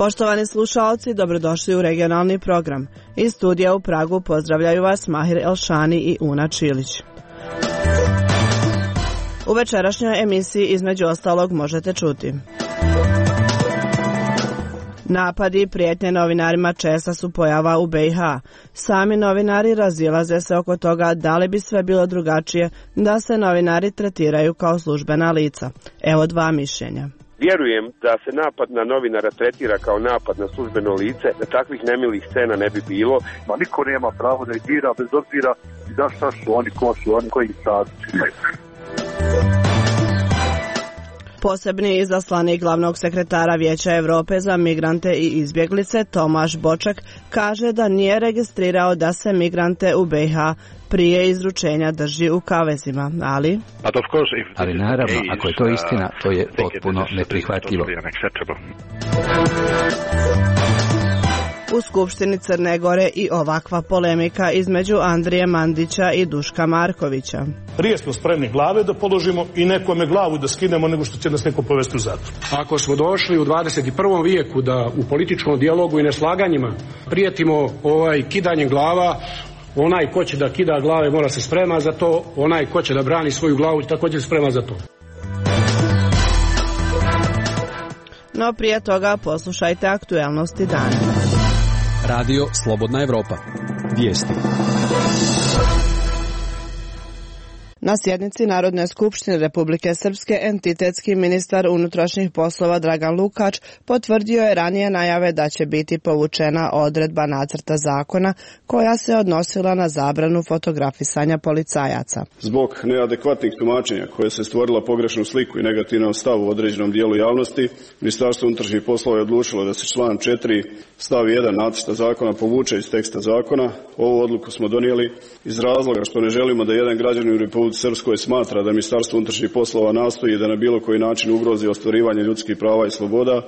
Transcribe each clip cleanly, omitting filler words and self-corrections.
Poštovani slušaoci, dobrodošli u regionalni program. Iz studija u Pragu pozdravljaju vas Mahir Elšani i Una Čilić. U večerašnjoj emisiji između ostalog možete čuti: napadi i prijetnje novinarima česta su pojava u BiH. Sami novinari razilaze se oko toga da li bi sve bilo drugačije da se novinari tretiraju kao službena lica. Evo dva mišljenja. Vjerujem da se napad na novinara tretira kao napad na službeno lice, da takvih nemilih scena ne bi bilo. Ma niko nema pravo da ih dira bez obzira da šta su oni, ko su oni, koji statusi. Posebni izaslanik glavnog sekretara Vijeća Europe za migrante i izbjeglice Tomaš Boček kaže da nije registrirao da se migrante u BiH prije izručenja drži u kavezima, ali naravno, ako je to istina, to je potpuno neprihvatljivo. U Skupštini Crne Gore i ovakva polemika između Andrije Mandića i Duška Markovića. Prije smo spremni glave da položimo i nekome glavu da skinemo nego što će nas neko povesti u zatvor. Ako smo došli u 21. vijeku da u političkom dijalogu i neslaganjima prijetimo kidanjem glava, onaj ko će da kida glave mora se sprema za to, onaj ko će da brani svoju glavu također se sprema za to. No prije toga poslušajte aktuelnosti dana. Radio Slobodna Evropa. Vijesti. Na sjednici Narodne skupštine Republike Srpske entitetski ministar unutrašnjih poslova Dragan Lukač potvrdio je ranije najave da će biti povučena odredba nacrta zakona koja se odnosila na zabranu fotografisanja policajaca. Zbog neadekvatnih tumačenja koje se stvorila pogrešnu sliku i negativan stav u određenom dijelu javnosti, Ministarstvo unutrašnjih poslova je odlučilo da se član 4 stav 1 nacrta zakona povuče iz teksta zakona. Ovu odluku smo donijeli iz razloga što ne želimo da jedan građanin u Republici Srpskoj smatra da Ministarstvo unutrašnjih poslova nastoji da na bilo koji način ugrozi ostvarivanje ljudskih prava i sloboda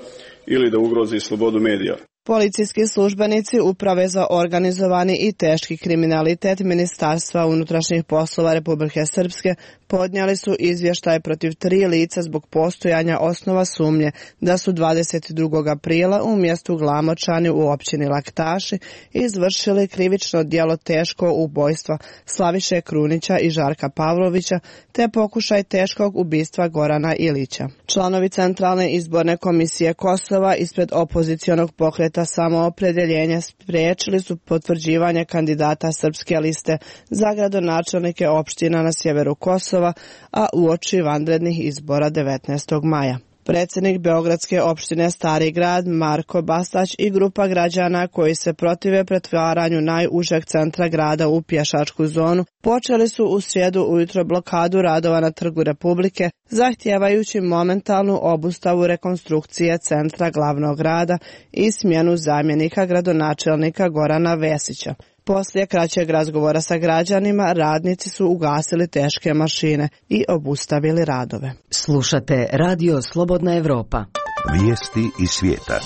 ili da ugrozi slobodu medija. Policijski službenici Uprave za organizovani i teški kriminalitet Ministarstva unutrašnjih poslova Republike Srpske podnijeli su izvještaj protiv 3 lica zbog postojanja osnova sumnje da su 22. aprila u mjestu Glamočani u općini Laktaši izvršili krivično djelo teško ubojstva Slaviše Krunića i Žarka Pavlovića te pokušaj teškog ubistva Gorana Ilića. Članovi Centralne izborne komisije Kosova ispred opozicionog pokreta Samoopredjeljenje spriječili su potvrđivanje kandidata Srpske liste za gradonačelnike opština na sjeveru Kosova, a uoči vanrednih izbora 19. maja. Predsjednik Beogradske opštine Stari grad Marko Bastać i grupa građana koji se protive pretvaranju najužeg centra grada u pješačku zonu počeli su u srijedu ujutro blokadu radova na Trgu Republike, zahtijevajući momentalnu obustavu rekonstrukcije centra glavnog grada i smjenu zamjenika gradonačelnika Gorana Vesića. Poslije kraćeg razgovora sa građanima, radnici su ugasili teške mašine i obustavili radove. Slušate Radio Slobodna Evropa. Vijesti iz svijeta.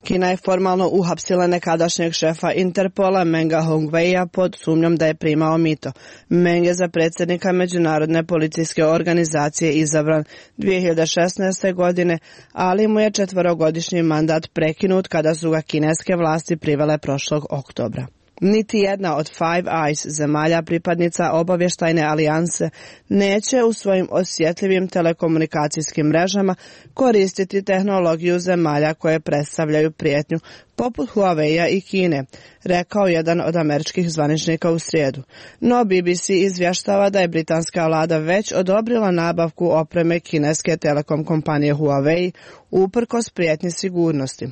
Kina je formalno uhapsila nekadašnjeg šefa Interpola Menga Hongweia pod sumnjom da je primao mito. Meng je za predsjednika Međunarodne policijske organizacije izabran 2016. godine, ali mu je 4-godišnji mandat prekinut kada su ga kineske vlasti privele prošlog oktobra. Niti jedna od Five Eyes zemalja pripadnica obavještajne alijanse neće u svojim osjetljivim telekomunikacijskim mrežama koristiti tehnologiju zemalja koje predstavljaju prijetnju poput Huawei-a i Kine, rekao jedan od američkih zvaničnika u srijedu. No BBC izvještava da je britanska vlada već odobrila nabavku opreme kineske telekom kompanije Huawei uprkos prijetnji sigurnosti.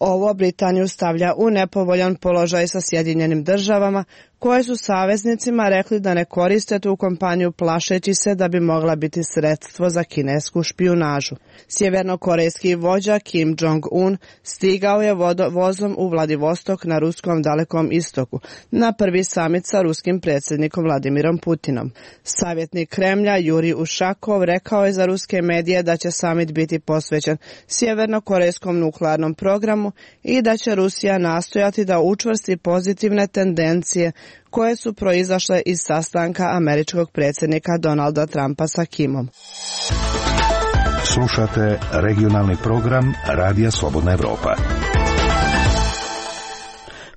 Ovo Britaniju stavlja u nepovoljan položaj sa Sjedinjenim državama, koje su saveznicima rekli da ne koriste tu kompaniju plašeći se da bi mogla biti sredstvo za kinesku špijunažu. Sjevernokorejski vođa Kim Jong-un stigao je vozom u Vladivostok na ruskom dalekom istoku na prvi samit sa ruskim predsjednikom Vladimirom Putinom. Savjetnik Kremlja Jurij Ušakov rekao je za ruske medije da će samit biti posvećen sjevernokorejskom nuklearnom programu i da će Rusija nastojati da učvrsti pozitivne tendencije koje su proizašle iz sastanka američkog predsjednika Donalda Trumpa sa Kimom. Slušate regionalni program Radija Slobodna Evropa.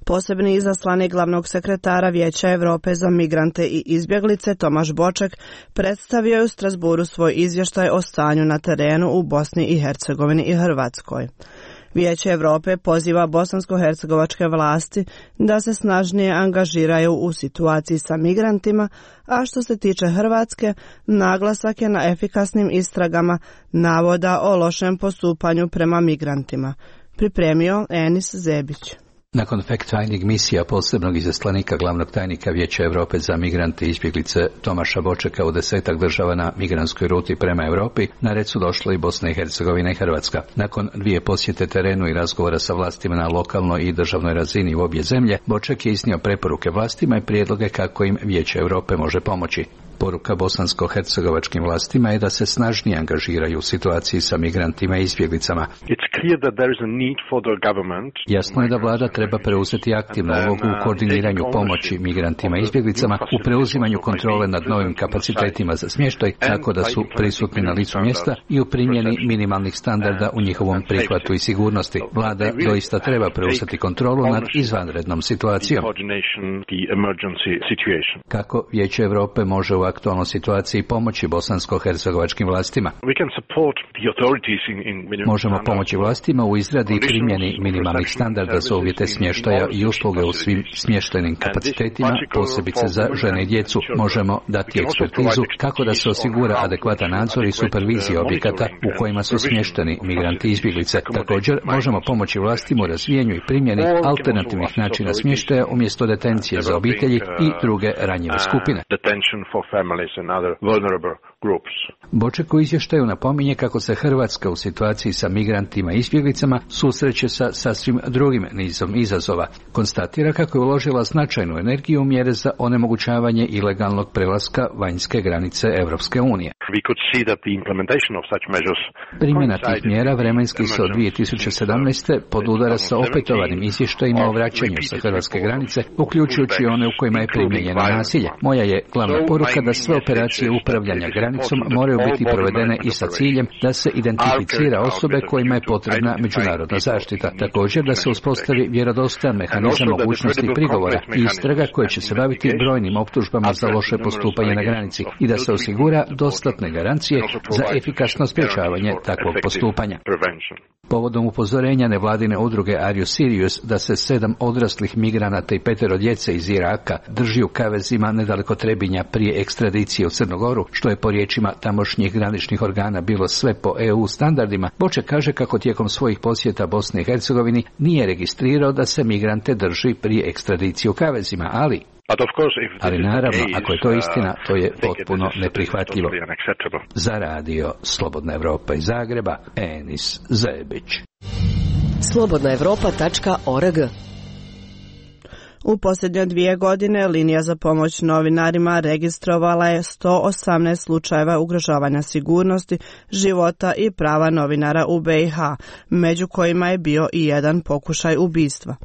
Posebni izaslanik glavnog sekretara Vijeća Europe za migrante i izbjeglice Tomaš Boček predstavio je u Strasburu svoj izvještaj o stanju na terenu u Bosni i Hercegovini i Hrvatskoj. Vijeće Europe poziva bosansko-hercegovačke vlasti da se snažnije angažiraju u situaciji sa migrantima, a što se tiče Hrvatske, naglasak je na efikasnim istragama navoda o lošem postupanju prema migrantima. Pripremio Enis Zebić. Nakon fact-finding misija posebnog izaslanika glavnog tajnika Vijeća Europe za migrante i izbjeglice Tomaša Bočeka u 10 država na migrantskoj ruti prema Europi, na red su došle i Bosna i Hercegovina i Hrvatska. Nakon 2 posjete terenu i razgovora sa vlastima na lokalnoj i državnoj razini u obje zemlje, Boček je iznio preporuke vlastima i prijedloge kako im Vijeće Europe može pomoći. Poruka bosansko-hercegovačkim vlastima je da se snažnije angažiraju u situaciji sa migrantima i izbjeglicama. Jasno je da vlada treba preuzeti aktivnu ulogu u koordiniranju pomoći migrantima i izbjeglicama, u preuzimanju kontrole nad novim kapacitetima za smještaj, tako da su prisutni na licu mjesta i u primjeni minimalnih standarda u njihovom prihvatu i sigurnosti. Vlada doista treba preuzeti kontrolu nad izvanrednom situacijom. Kako Vijeće Europe može u aktualnoj situaciji pomoći bosansko-hercegovačkim vlastima? Možemo pomoći vlastima u izradi i primjeni minimalnih standarda za uvjete smještaja i usluge u svim smještajnim kapacitetima, posebice za žene i djecu. Možemo dati ekspertizu kako da se osigura adekvatan nadzor i supervizija objekata u kojima su smješteni migranti i izbjeglice. Također možemo pomoći vlastima u razvijanju i primjeni alternativnih načina smještaja umjesto detencije za obitelji i druge ranjive skupine. Boček u izvještaju napominje kako se Hrvatska u situaciji sa migrantima i izbjeglicama susreće sa sasvim drugim nizom izazova. Konstatira kako je uložila značajnu energiju u mjere za onemogućavanje ilegalnog prelaska vanjske granice Europske unije. Primjena tih mjera vremenski se od 2017. podudara sa opetovanim izvještajima o vraćanju sa hrvatske granice, uključujući one u kojima je primijenjeno nasilje. Moja je glavna poruka da sve operacije upravljanja granicom moraju biti provedene i sa ciljem da se identificira osobe kojima je potrebna međunarodna zaštita. Također da se uspostavi vjerodostojan mehanizam mogućnosti prigovora i istraga koje će se baviti brojnim optužbama za loše postupanje na granici i da se osigura dostatne garancije za efikasno sprječavanje takvog postupanja. Povodom upozorenja nevladine udruge Are You Serious da se 7 odraslih migranata i 5 djece iz Iraka drži u kavezima nedaleko Trebinja prije ekstradicije u Crnu Goru, što je po riječima tamošnjih graničnih organa bilo sve po EU standardima, Boček kaže kako tijekom svojih posjeta Bosni i Hercegovini nije registrirao da se migrante drži prije ekstradicije u kavezima, ali naravno, ako je to istina, to je potpuno neprihvatljivo. Za Radio Slobodna Evropa iz Zagreba, Enis Zebić. slobodnaevropa.org. U posljednje 2 godine linija za pomoć novinarima registrovala je 118 slučajeva ugrožavanja sigurnosti, života i prava novinara u BiH, među kojima je bio i jedan pokušaj ubistva.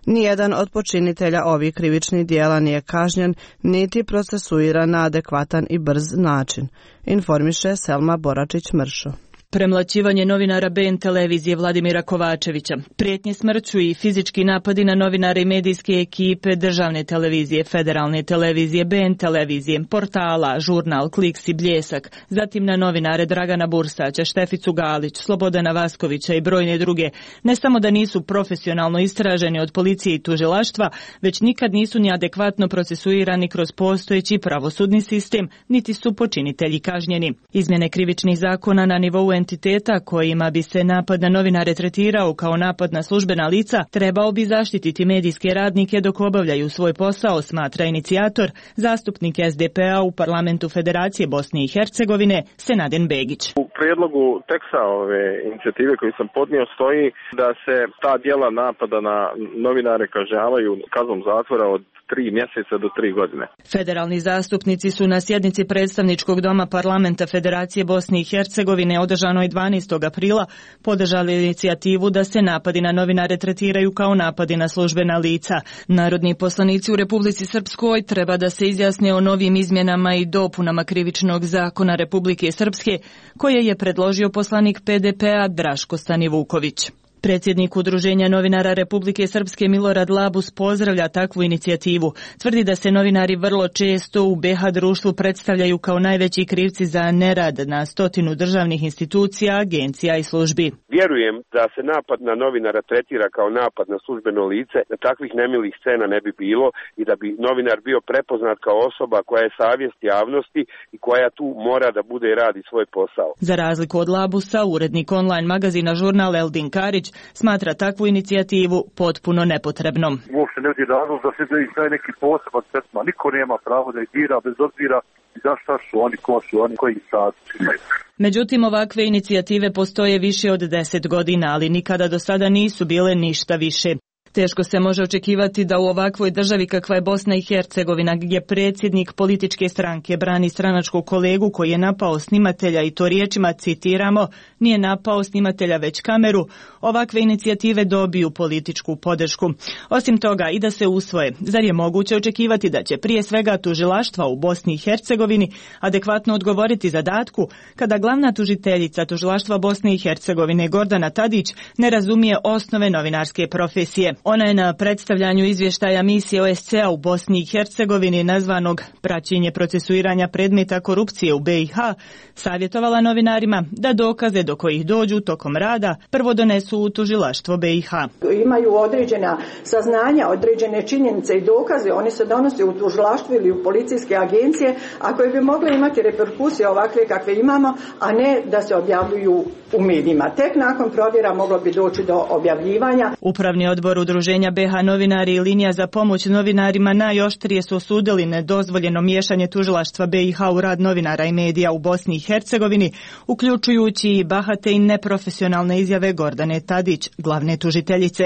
Nijedan od počinitelja ovih krivičnih djela nije kažnjen, niti procesuiran na adekvatan i brz način, informiše Selma Boračić-Mršo. Premlaćivanje novinara BN televizije Vladimira Kovačevića, prijetnje smrću i fizički napadi na novinare i medijske ekipe državne televizije, federalne televizije, BN televizije, portala, žurnal, Kliks i Bljesak, zatim na novinare Dragana Bursaća, Šteficu Galić, Slobodana Vaskovića i brojne druge, ne samo da nisu profesionalno istraženi od policije i tužilaštva, već nikad nisu ni adekvatno procesuirani kroz postojeći pravosudni sistem, niti su počinitelji kažnjeni. Izmjene krivičnih zakona na nivou entiteta kojima bi se napad na novinare tretirao kao napad na službena lica trebao bi zaštititi medijske radnike dok obavljaju svoj posao, smatra inicijator, zastupnik SDP-a u Parlamentu Federacije Bosne i Hercegovine, Senaden Begić. U prijedlogu teksta ove inicijative koju sam podnio stoji da se ta djela napada na novinare kažnjavaju kaznom zatvora od 3 mjeseca do 3 godine. Federalni zastupnici su na sjednici predstavničkog doma parlamenta Federacije Bosne i Hercegovine održanoj 12. aprila podržali inicijativu da se napadi na novinare tretiraju kao napadi na službena lica. Narodni poslanici u Republici Srpskoj treba da se izjasne o novim izmjenama i dopunama krivičnog zakona Republike Srpske koje je predložio poslanik PDP-a Draško Stanivuković. Predsjednik Udruženja novinara Republike Srpske Milorad Labus pozdravlja takvu inicijativu. Tvrdi da se novinari vrlo često u BiH društvu predstavljaju kao najveći krivci za nerad na 100 državnih institucija, agencija i službi. Vjerujem da se napad na novinara tretira kao napad na službeno lice, da takvih nemilih scena ne bi bilo i da bi novinar bio prepoznat kao osoba koja je savjest javnosti i koja tu mora da bude i radi svoj posao. Za razliku od Labusa, urednik online magazina Žurnal Eldin Karić smatra takvu inicijativu potpuno nepotrebnom. Uopšte ne vidi razlog da se daje neki poseban tretman. Niko nema pravo da ih dira bez obzira za šta su oni, ko su oni, koji sad imaju. Međutim, ovakve inicijative postoje više od 10 godina, ali nikada do sada nisu bile ništa više. Teško se može očekivati da u ovakvoj državi kakva je Bosna i Hercegovina, gdje predsjednik političke stranke brani stranačkog kolegu koji je napao snimatelja i to riječima, citiramo, nije napao snimatelja već kameru, ovakve inicijative dobiju političku podršku. Osim toga, i da se usvoje, zar je moguće očekivati da će prije svega tužilaštva u Bosni i Hercegovini adekvatno odgovoriti zadatku kada glavna tužiteljica tužilaštva Bosne i Hercegovine Gordana Tadić ne razumije osnove novinarske profesije. Ona je na predstavljanju izvještaja misije OSCE-a u Bosni i Hercegovini nazvanog Praćenje procesuiranja predmeta korupcije u BiH savjetovala novinarima da dokaze do kojih dođu tokom rada prvo donesu u tužilaštvo BiH. Imaju određena saznanja, određene činjenice i dokaze, oni se donose u tužilaštvo ili u policijske agencije, a koje bi mogle imati reperkusije ovakve kakve imamo, a ne da se objavljuju u medijima. Tek nakon provjera moglo bi doći do objavljivanja. Upravni odbor Udruženja BiH novinari i linija za pomoć novinarima najoštrije su osudili nedozvoljeno miješanje tužilaštva BiH u rad novinara i medija u Bosni i Hercegovini, uključujući i bahate i neprofesionalne izjave Gordane Tadić, glavne tužiteljice.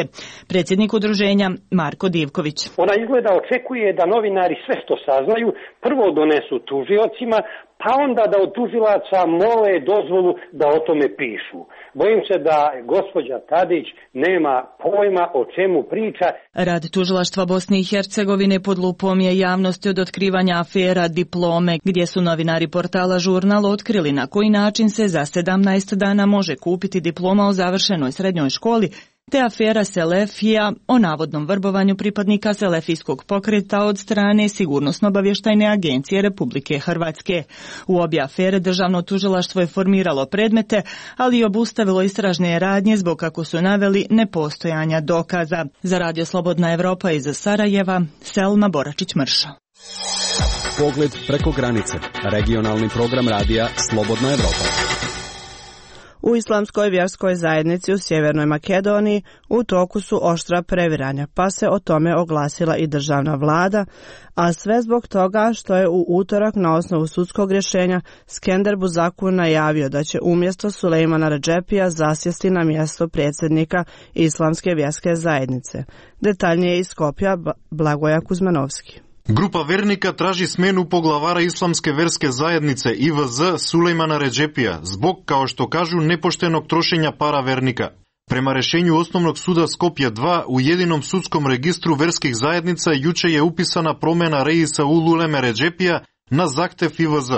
Predsjednik udruženja Marko Divković. Ona izgleda očekuje da novinari sve što saznaju prvo donesu tužiocima, pa onda da od tužilaca mole dozvolu da o tome pišu. Bojim se da gospođa Tadić nema pojma o čemu priča. Rad tužilaštva Bosne i Hercegovine pod lupom je javnosti od otkrivanja afera Diplome, gdje su novinari portala Žurnal otkrili na koji način se za 17 dana može kupiti diploma o završenoj srednjoj školi, te afera Selefija o navodnom vrbovanju pripadnika selefijskog pokreta od strane Sigurnosno-obavještajne agencije Republike Hrvatske. U obje afere državno tužilaštvo je formiralo predmete, ali i obustavilo istražne radnje zbog, kako su naveli, nepostojanja dokaza. Za Radio Slobodna Evropa iz Sarajeva, Selma Boračić-Mrša. Pogled preko granice. Regionalni program radija Slobodna Evropa. U islamskoj vjerskoj zajednici u Sjevernoj Makedoniji u toku su oštra previranja, pa se o tome oglasila i državna vlada, a sve zbog toga što je u utorak na osnovu sudskog rješenja Skender Buzaku najavio da će umjesto Sulejmana Redžepija zasjesti na mjesto predsjednika Islamske vjerske zajednice. Detaljnije iz Skopja Blagoja Kuzmanovski. Grupa vernika traži smenu poglavara Islamske verske zajednice IVZ Sulejmana Redžepija zbog, kao što kažu, nepoštenog trošenja para vernika. Prema rješenju Osnovnog suda Skopje 2 u jedinom sudskom registru verskih zajednica juče je upisana promjena Reisa Ululeme Redžepija na zahtjev IVZ.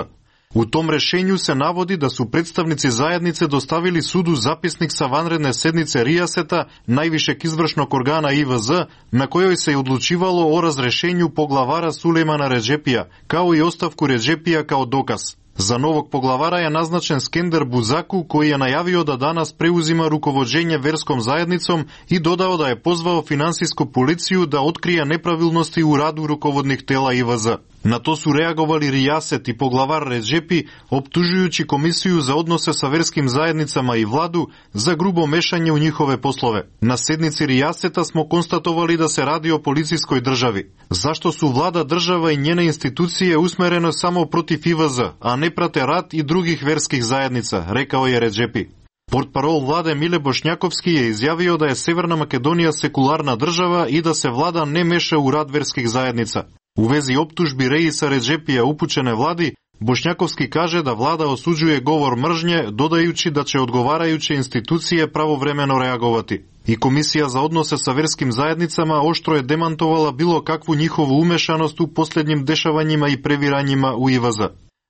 U tom rješenju se navodi da su predstavnici zajednice dostavili sudu zapisnik sa vanredne sednice Rijaseta, najvišeg izvršnog organa IVZ, na kojoj se je odlučivalo o razrješenju poglavara Sulejmana Redžepija, kao i ostavku Redžepija kao dokaz. Za novog poglavara je naznačen Skender Buzaku, koji je najavio da danas preuzima rukovođenje verskom zajednicom i dodao da je pozvao finansijsku policiju da otkrije nepravilnosti u radu rukovodnih tela IVZ. Na to su reagovali Rijaset i poglavar Redžepi, optužujući Komisiju za odnose sa verskim zajednicama i vladu za grubo mešanje u njihove poslove. Na sednici Rijaseta smo konstatovali da se radi o policijskoj državi. Zašto su vlada, država i njene institucije usmerene samo protiv IVZ, a ne prate rad i drugih verskih zajednica, rekao je Redžepi. Портпарол владе Миле Бошњаковски je izjavio da je Severna Makedonija sekularna država i da se vlada ne meša u rad verskih zajednica. U vezi optužbi Reisa Redžepija upućene vladi, Bošnjakovski kaže da vlada osuđuje govor mržnje, dodajući da će odgovarajuće institucije pravovremeno reagovati. I Komisija za odnose sa verskim zajednicama oštro je demantovala bilo kakvu njihovu umešanost u posljednjim dešavanjima i previranjima u IVZ.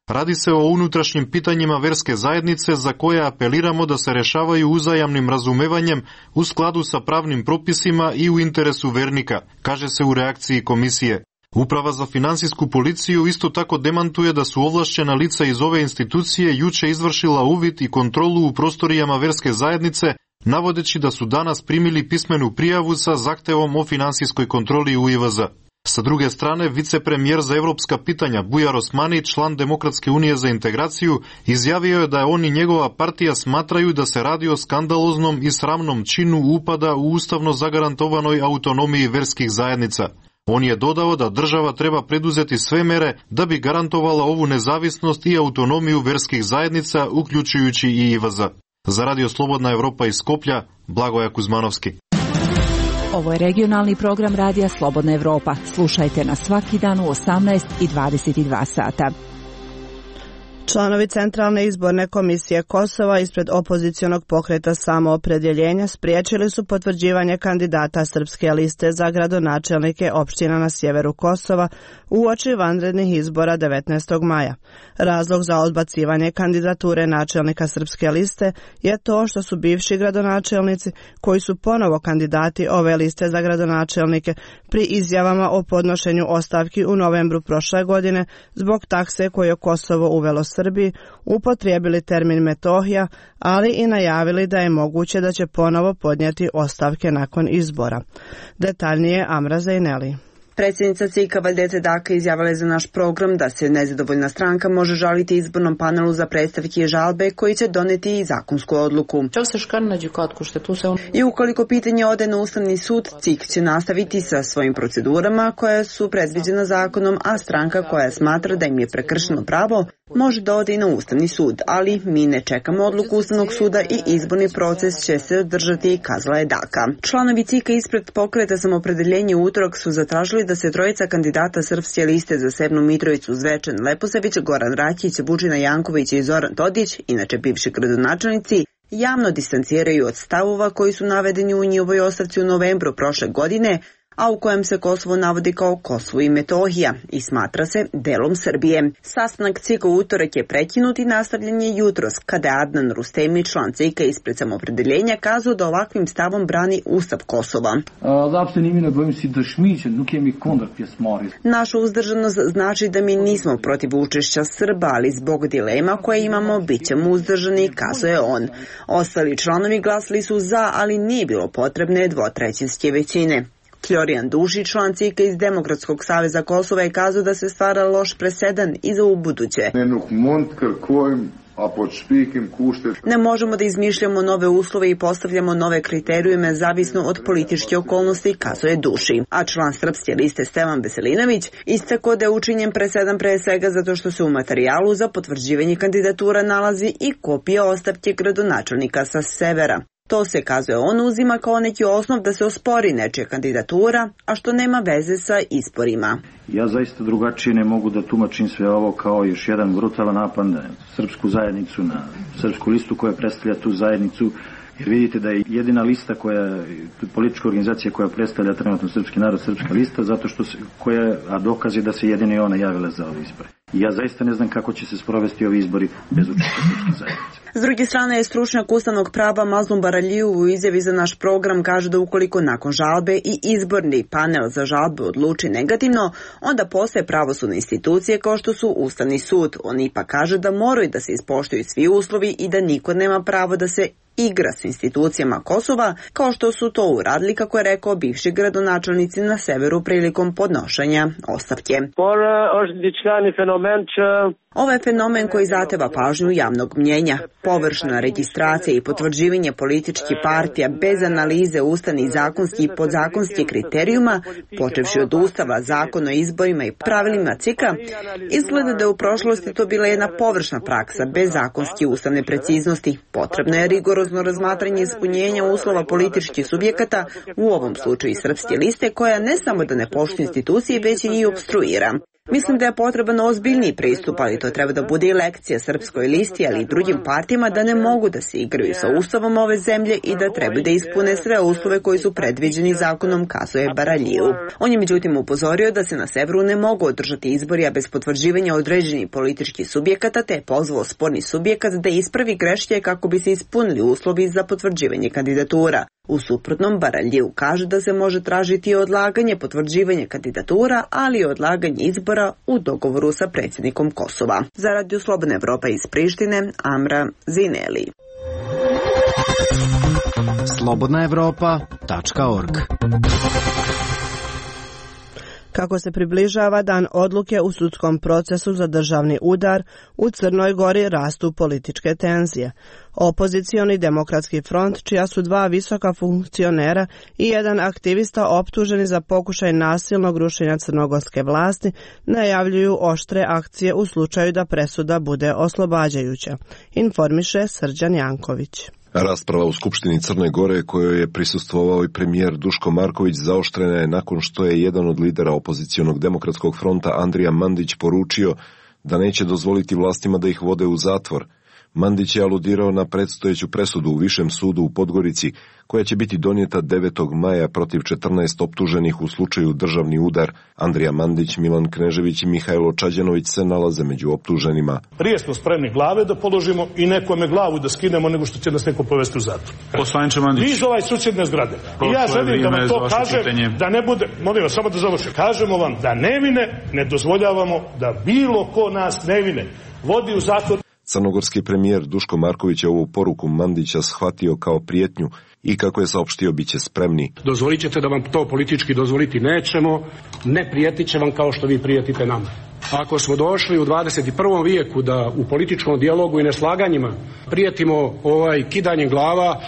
Radi se o unutrašnjim pitanjima verske zajednice za koje apeliramo da se rešavaju uzajamnim razumevanjem u skladu sa pravnim propisima i u interesu vernika, kaže se u reakciji komisije. Uprava za finansijsku policiju isto tako demantuje da su ovlašćena lica iz ove institucije juče izvršila uvid i kontrolu u prostorijama verske zajednice, navodeći da su danas primili pismenu prijavu sa zahtevom o finansijskoj kontroli u IVZ. Sa druge strane, vicepremijer za evropska pitanja Bujar Osmani, član Demokratske unije za integraciju, izjavio je da on i njegova partija smatraju da se radi o skandaloznom i sramnom činu upada u ustavno zagarantovanoj autonomiji verskih zajednica. On je dodao da država treba preduzeti sve mere da bi garantovala ovu nezavisnost i autonomiju verskih zajednica, uključujući i IVZ. Za Radio Slobodna Evropa iz Skoplja, Blagoja Kuzmanovski. Ovo je regionalni program Radija Slobodna Evropa. Slušajte nas svaki dan u 18 i 22 sata. Članovi Centralne izborne komisije Kosova ispred opozicionog pokreta Samoopredjeljenja spriječili su potvrđivanje kandidata Srpske liste za gradonačelnike opština na sjeveru Kosova uoči vanrednih izbora 19. maja. Razlog za odbacivanje kandidature načelnika Srpske liste je to što su bivši gradonačelnici, koji su ponovo kandidati ove liste za gradonačelnike, pri izjavama o podnošenju ostavki u novembru prošle godine zbog takse koju je Kosovo uvelo Srbiji, upotrijebili termin Metohija, ali i najavili da je moguće da će ponovo podnijeti ostavke nakon izbora. Detaljnije Amra Zejneli. Predsjednica CIK-a Valdete Daka izjavila je za naš program da se nezadovoljna stranka može žaliti izbornom panelu za predstavke i žalbe koji će doneti i zakonsku odluku. I ukoliko pitanje ode na Ustavni sud, CIK će nastaviti sa svojim procedurama koje su predviđena zakonom, a stranka koja smatra da im je prekršeno pravo može da ode i na Ustavni sud, ali mi ne čekamo odluku Ustavnog suda i izborni proces će se održati, kazala je Daka. Članovi CIK-a ispred pokreta Samoopredjeljenje utorak su zatražili da se trojica kandidata Srpske liste za Severnu Mitrovicu Zvečan Leposavić, Goran Rakić, Vučina Janković i Zoran Todić, inače bivši gradonačelnici, javno distanciraju od stavova koji su navedeni u njihovoj ostavci u novembru prošle godine, a u kojem se Kosovo navodi kao Kosovo i Metohija i smatra se delom Srbije. Sastanak CIK-a u utorak je prekinut i nastavljen je jutros, kada je Adnan Rustemi, član CIK-a ispred Samoopredjeljenja, kazao da ovakvim stavom brani Ustav Kosova. Naša uzdržanost znači da mi nismo protiv učešća Srba, ali zbog dilema koje imamo, bit ćemo uzdržani, kazao je on. Ostali članovi glasali su za, ali nije bilo potrebne dvotrećinske većine. Florijan Dušić, član CIK-a iz Demokratskog saveza Kosova, je kazao da se stvara loš presedan i za ubuduće. Ne možemo da izmišljamo nove uslove i postavljamo nove kriterijume zavisno od političke okolnosti, kazao je Duši. A član Srpske liste Stevan Veselinović istakao da je učinjen presedan pre svega zato što se u materijalu za potvrđivanje kandidatura nalazi i kopija ostavke gradonačelnika sa severa. To se, kazuje on, uzima kao neki osnov da se ospori nečija kandidatura, a što nema veze sa izborima. Ja zaista drugačije ne mogu da tumačim sve ovo kao još jedan brutalan napad na srpsku zajednicu, na srpsku listu koja predstavlja tu zajednicu, jer vidite da je jedina lista politička organizacija koja predstavlja trenutno srpski narod, Srpska lista, zato što a dokaz je da se jedino i ona javila za ove izbore. I ja zaista ne znam kako će se sprovesti ovi izbori bez učešća srpske zajednice. S druge strane je stručnjak ustavnog prava Mazlum Baraliju u izjavi za naš program kaže da ukoliko nakon žalbe i izborni panel za žalbu odluči negativno, onda postoje pravosudne institucije kao što su Ustavni sud. On ipak kaže da moraju da se ispoštuju svi uslovi i da niko nema pravo da se igra s institucijama Kosova, kao što su to uradili, kako je rekao bivši gradonačelnici na severu prilikom podnošenja ostavke. Ovo je fenomen koji zahteva pažnju javnog mnjenja. Površna registracija i potvrđivanje političkih partija bez analize ustavnih, zakonskih i podzakonskih kriterijuma, počevši od Ustava, Zakona o izborima i pravilima CIK-a, izgleda da je u prošlosti to bila jedna površna praksa bez zakonske ustavne preciznosti. Potrebno je rigorozno razmatranje ispunjenja uslova političkih subjekata, u ovom slučaju Srpske liste, koja ne samo da ne poštuje institucije, već i njih opstruira. Mislim da je potreban ozbiljniji pristup, ali to treba da bude i lekcija Srpskoj listi, ali i drugim partijama da ne mogu da se igraju sa ustavom ove zemlje i da treba da ispune sve uslove koji su predviđeni zakonom, kazuje Baraljiju. On je međutim upozorio da se na severu ne mogu održati izbori, a bez potvrđivanja određenih političkih subjekata, te je pozvao sporni subjekat da ispravi greške kako bi se ispunili uslovi za potvrđivanje kandidatura. U suprotnom, Baraljiju kaže da se može tražiti odlaganje potvrđivanja kandidatura, ali i odlaganje izbora u dogovoru sa predsjednikom Kosova. Za Radio Slobodna Evropa iz Prištine, Amra Zineli. slobodnaevropa.org. Kako se približava dan odluke u sudskom procesu za državni udar, u Crnoj Gori rastu političke tenzije. Opozicioni demokratski front, čija su dva visoka funkcionera i jedan aktivista optuženi za pokušaj nasilnog rušenja crnogorske vlasti, najavljuju oštre akcije u slučaju da presuda bude oslobađajuća, informiše Srđan Janković. Rasprava u Skupštini Crne Gore, kojoj je prisustvovao i premijer Duško Marković, zaoštrena je nakon što je jedan od lidera opozicionog demokratskog fronta Andrija Mandić poručio da neće dozvoliti vlastima da ih vode u zatvor. Mandić je aludirao na predstojeću presudu u Višem sudu u Podgorici, koja će biti donijeta 9. maja protiv 14 optuženih u slučaju državni udar. Andrija Mandić, Milan Knežević i Mihajlo Čađanović se nalaze među optuženima. Prije smo spremni glave da položimo i nekome glavu da skinemo nego što će nas neko povesti u zatvor. Poslaniče Mandić. Vi iz ovaj susjedne zgrade. I ja želim da vam to kažem, da ne bude, molim vas, samo da završim. Kažemo vam da nevine ne dozvoljavamo da bilo ko nas nevine vodi u zatvor. Crnogorski premijer Duško Marković je ovu poruku Mandića shvatio kao prijetnju i kako je saopštio bit će spremni. Dozvolit ćete da vam to politički dozvoliti nećemo, ne prijetit će vam kao što vi prijetite nama. Ako smo došli u 21. vijeku da u političkom dijalogu i neslaganjima prijetimo kidanjem glava,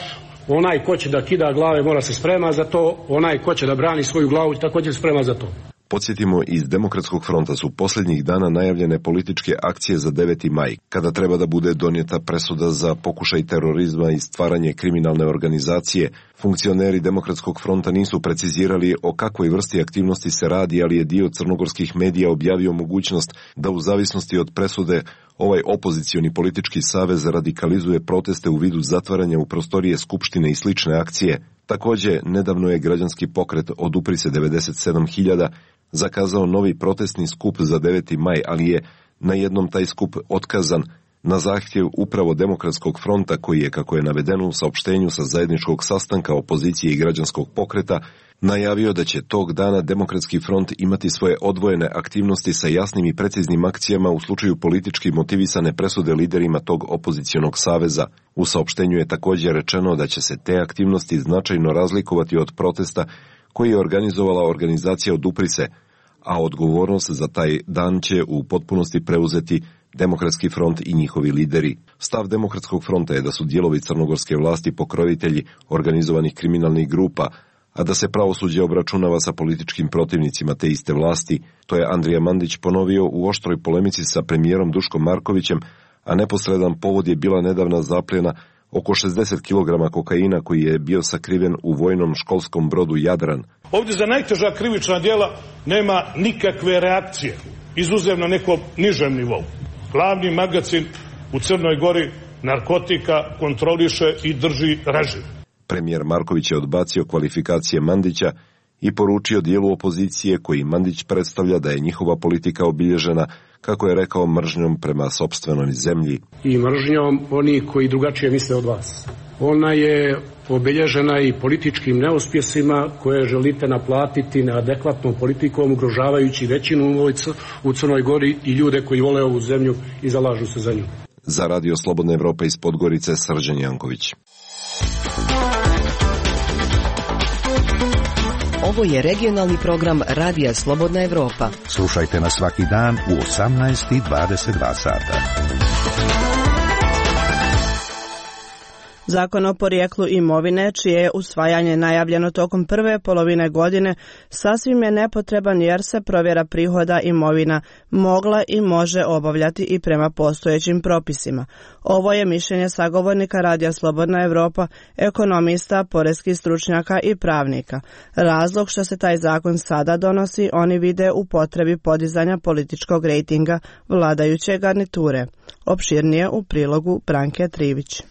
onaj ko će da kida glave mora se sprema za to, onaj ko će da brani svoju glavu također sprema za to. Podsjetimo, iz Demokratskog fronta su posljednjih dana najavljene političke akcije za 9. maj, kada treba da bude donijeta presuda za pokušaj terorizma i stvaranje kriminalne organizacije. Funkcioneri Demokratskog fronta nisu precizirali o kakvoj vrsti aktivnosti se radi, ali je dio crnogorskih medija objavio mogućnost da u zavisnosti od presude ovaj opozicioni politički savez radikalizuje proteste u vidu zatvaranja u prostorije Skupštine i slične akcije. Također, nedavno je građanski pokret Odupri se 97.000 zakazao novi protestni skup za 9. maj, ali je na jednom taj skup otkazan na zahtjev upravo Demokratskog fronta, koji je, kako je navedeno u saopštenju sa zajedničkog sastanka opozicije i građanskog pokreta, najavio da će tog dana Demokratski front imati svoje odvojene aktivnosti sa jasnim i preciznim akcijama u slučaju politički motivisane presude liderima tog opozicionog saveza. U saopštenju je također rečeno da će se te aktivnosti značajno razlikovati od protesta koji je organizovala organizacija Odupri se, a odgovornost za taj dan će u potpunosti preuzeti Demokratski front i njihovi lideri. Stav Demokratskog fronta je da su dijelovi crnogorske vlasti pokrovitelji organizovanih kriminalnih grupa, a da se pravosuđe obračunava sa političkim protivnicima te iste vlasti. To je Andrija Mandić ponovio u oštroj polemici sa premijerom Duškom Markovićem, a neposredan povod je bila nedavna zapljena oko 60 kg kokaina koji je bio sakriven u vojnom školskom brodu Jadran. Ovdje za najteža krivična djela nema nikakve reakcije, izuzev na nekom nižem nivou. Glavni magacin u Crnoj Gori narkotika kontroliše i drži režim. Premijer Marković je odbacio kvalifikacije Mandića i poručio dijelu opozicije koji Mandić predstavlja da je njihova politika obilježena, kako je rekao, mržnjom prema sopstvenoj zemlji. I mržnjom oni koji drugačije misle od vas. Ona je obilježena i političkim neuspjesima koje želite naplatiti neadekvatnom politikom, ugrožavajući većinu u Crnoj Gori i ljude koji vole ovu zemlju i zalažu se za nju. Za Radio Slobodna Evropa iz Podgorice, Srđan Janković. Ovo je regionalni program Radija Slobodna Evropa. Slušajte nas svaki dan u 18 i 22 sata. Zakon o porijeklu imovine, čije je usvajanje najavljeno tokom prve polovine godine, sasvim je nepotreban jer se provjera prihoda imovina mogla i može obavljati i prema postojećim propisima. Ovo je mišljenje sagovornika Radija Slobodna Evropa, ekonomista, poreskih stručnjaka i pravnika. Razlog što se taj zakon sada donosi, oni vide u potrebi podizanja političkog rejtinga vladajuće garniture. Opširnije u prilogu Branke Trivić.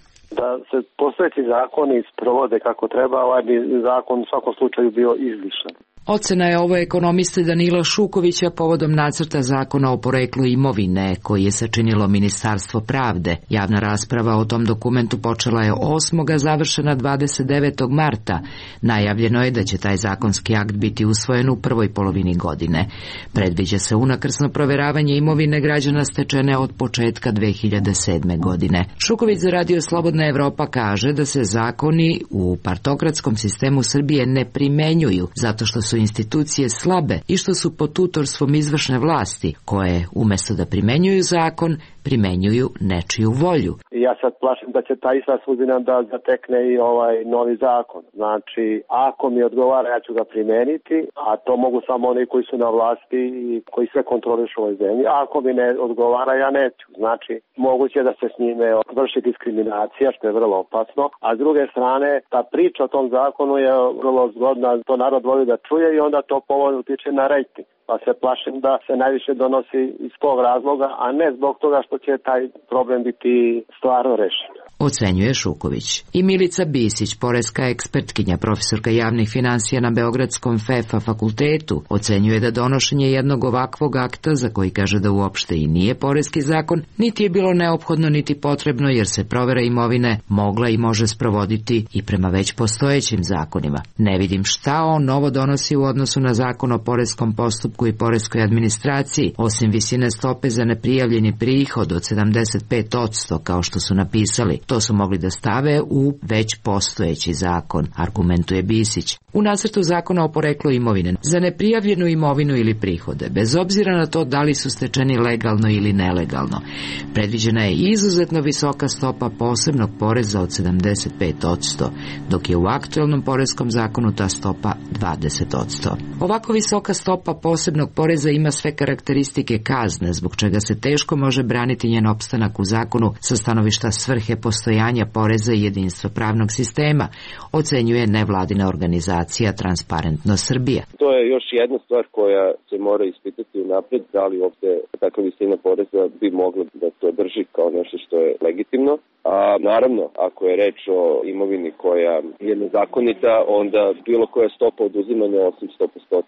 Da se postojeći zakoni sprovode kako treba, ovaj bi zakon u svakom slučaju bio izlišan. Ocena je ovo ekonomiste Danila Šukovića povodom nacrta zakona o poreklu imovine koji je sačinilo Ministarstvo pravde. Javna rasprava o tom dokumentu počela je 8. završena 29. marta. Najavljeno je da će taj zakonski akt biti usvojen u prvoj polovini godine. Predviđa se unakrsno proveravanje imovine građana stečene od početka 2007. godine. Šuković za Radio Slobodna Evropa kaže da se zakoni u partokratskom sistemu Srbije ne primenjuju zato što su institucije slabe i što su pod tutorstvom izvršne vlasti, koje umjesto da primenjuju zakon, primenjuju nečiju volju. Ja sad plašim da će ta ista sudbina da zatekne i ovaj novi zakon. Znači, ako mi odgovara, ja ću ga primeniti, a to mogu samo oni koji su na vlasti i koji sve kontrolišu u ovoj zemlji. A ako mi ne odgovara, ja neću. Znači, moguće da se s njime vrši diskriminacija, što je vrlo opasno. A s druge strane, ta priča o tom zakonu je vrlo zgodna, to narod voli da čuje i onda to povoljno utiče na rejting. Pa se plašim da se najviše donosi iz tog razloga, a ne zbog toga što će taj problem biti stvarno rešen. Ocenjuje Šuković. I Milica Bisić, poreska ekspertkinja, profesorka javnih finansija na Beogradskom FEFA fakultetu, ocenjuje da donošenje jednog ovakvog akta, za koji kaže da uopšte i nije poreski zakon, niti je bilo neophodno niti potrebno jer se provera imovine mogla i može sprovoditi i prema već postojećim zakonima. Ne vidim šta on novo donosi u odnosu na zakon o poreskom postupku i poreskoj administraciji, osim visine stope za neprijavljeni prihod od 75%, kao što su napisali. To su mogli da stave u već postojeći zakon, argumentuje Bisić. U nacrtu zakona o poreklu imovine za neprijavljenu imovinu ili prihode, bez obzira na to da li su stečeni legalno ili nelegalno, predviđena je izuzetno visoka stopa posebnog poreza od 75%, dok je u aktualnom poreskom zakonu ta stopa 20%. Ovako visoka stopa posebnog poreza ima sve karakteristike kazne, zbog čega se teško može braniti njen opstanak u zakonu sa stanovišta svrhe postojanja poreza i jedinstva pravnog sistema, ocenjuje nevladina organizacija Transparentnost Srbija. To je još jedna stvar koja se mora ispitati unapred, da li uopšte takva visina poreza bi mogla da to drži kao nešto što je legitimno. A naravno, ako je reč o imovini koja je nezakonita, onda bilo koja stopa oduzimanja osim 100%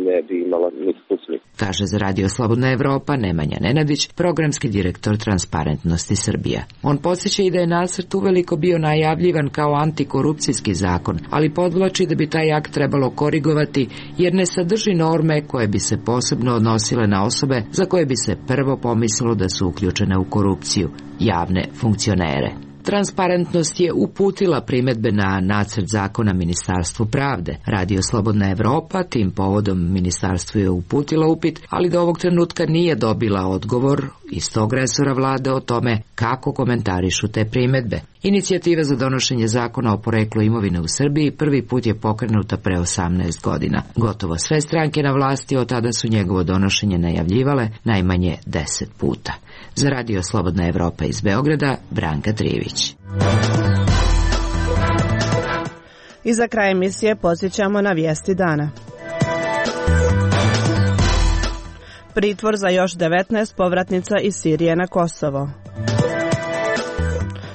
ne bi imala nikakvu smisla. Kaže za Radio Slobodna Evropa Nemanja Nenadić, programski direktor Transparentnosti Srbija. On podsjeća i da je nacrt uveliko bio najavljivan kao antikorupcijski zakon, ali podvlači da bi taj akt trebalo korigovati jer ne sadrži norme koje bi se posebno odnosile na osobe za koje bi se prvo pomislilo da su uključene u korupciju, javne funkcionere. Transparentnost je uputila primedbe na nacrt zakona Ministarstvu pravde. Radio Slobodna Evropa tim povodom ministarstvu je uputila upit, ali do ovog trenutka nije dobila odgovor iz tog resora vlade o tome kako komentarišu te primedbe. Inicijativa za donošenje zakona o poreklu imovine u Srbiji prvi put je pokrenuta pre 18 godina. Gotovo sve stranke na vlasti od tada su njegovo donošenje najavljivale najmanje 10 puta. Za Radio Slobodna Evropa iz Beograda, Branka Trivić. I za kraj emisije podsjećamo na vijesti dana. Pritvor za još 19 povratnica iz Sirije na Kosovo.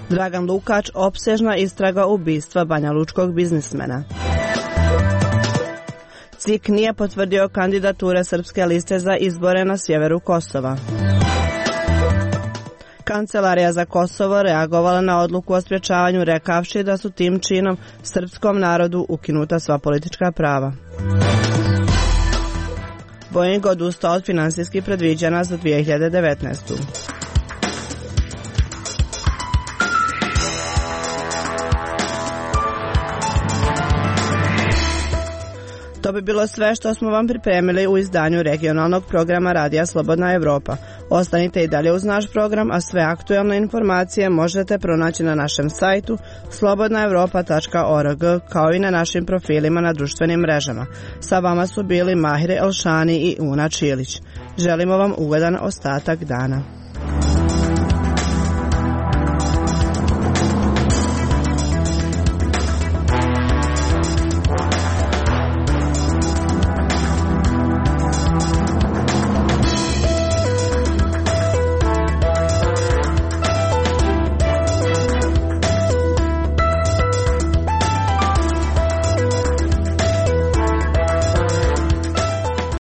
Dragan Lukač, opsežna istraga ubistva banjalučkog biznismena. CIK nije potvrdio kandidature Srpske liste za izbore na sjeveru Kosova. Kancelarija za Kosovo reagovala na odluku o sprječavanju rekavši da su tim činom srpskom narodu ukinuta sva politička prava. Boeing odustao od finansijskih predviđanja za 2019. To bi bilo sve što smo vam pripremili u izdanju regionalnog programa Radija Slobodna Evropa. Ostanite i dalje uz naš program, a sve aktuelne informacije možete pronaći na našem sajtu slobodnaevropa.org, kao i na našim profilima na društvenim mrežama. Sa vama su bili Mahir Elšani i Una Čilić. Želimo vam ugodan ostatak dana.